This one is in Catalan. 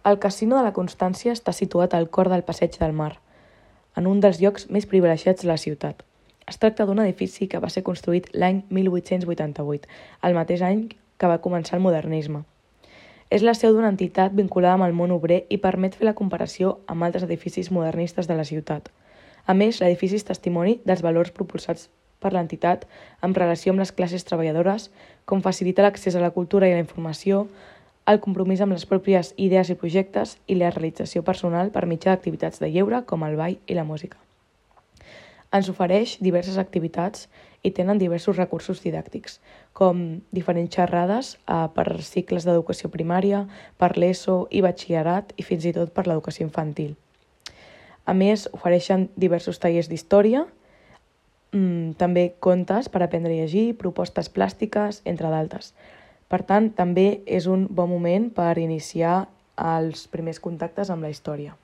El Casino de la Constància està situat al cor del Passeig del Mar, en un dels llocs més privilegiats de la ciutat. Es tracta d'un edifici que va ser construït l'any 1888, el mateix any que va començar el modernisme. És la seu d'una entitat vinculada amb el món obrer i permet fer la comparació amb altres edificis modernistes de la ciutat. A més, l'edifici és testimoni dels valors propulsats per l'entitat en relació amb les classes treballadores, com facilitar l'accés a la cultura i a la informació, el compromís amb les pròpies idees i projectes i la realització personal per mitjà d'activitats de lleure com el ball i la música. Ens ofereix diverses activitats i tenen diversos recursos didàctics, com diferents xerrades per cicles d'educació primària, per l'ESO i batxillerat i fins i tot per l'educació infantil. A més, ofereixen diversos tallers d'història, també contes per aprendre a llegir, propostes plàstiques, entre d'altres. Per tant, també és un bon moment per iniciar els primers contactes amb la història.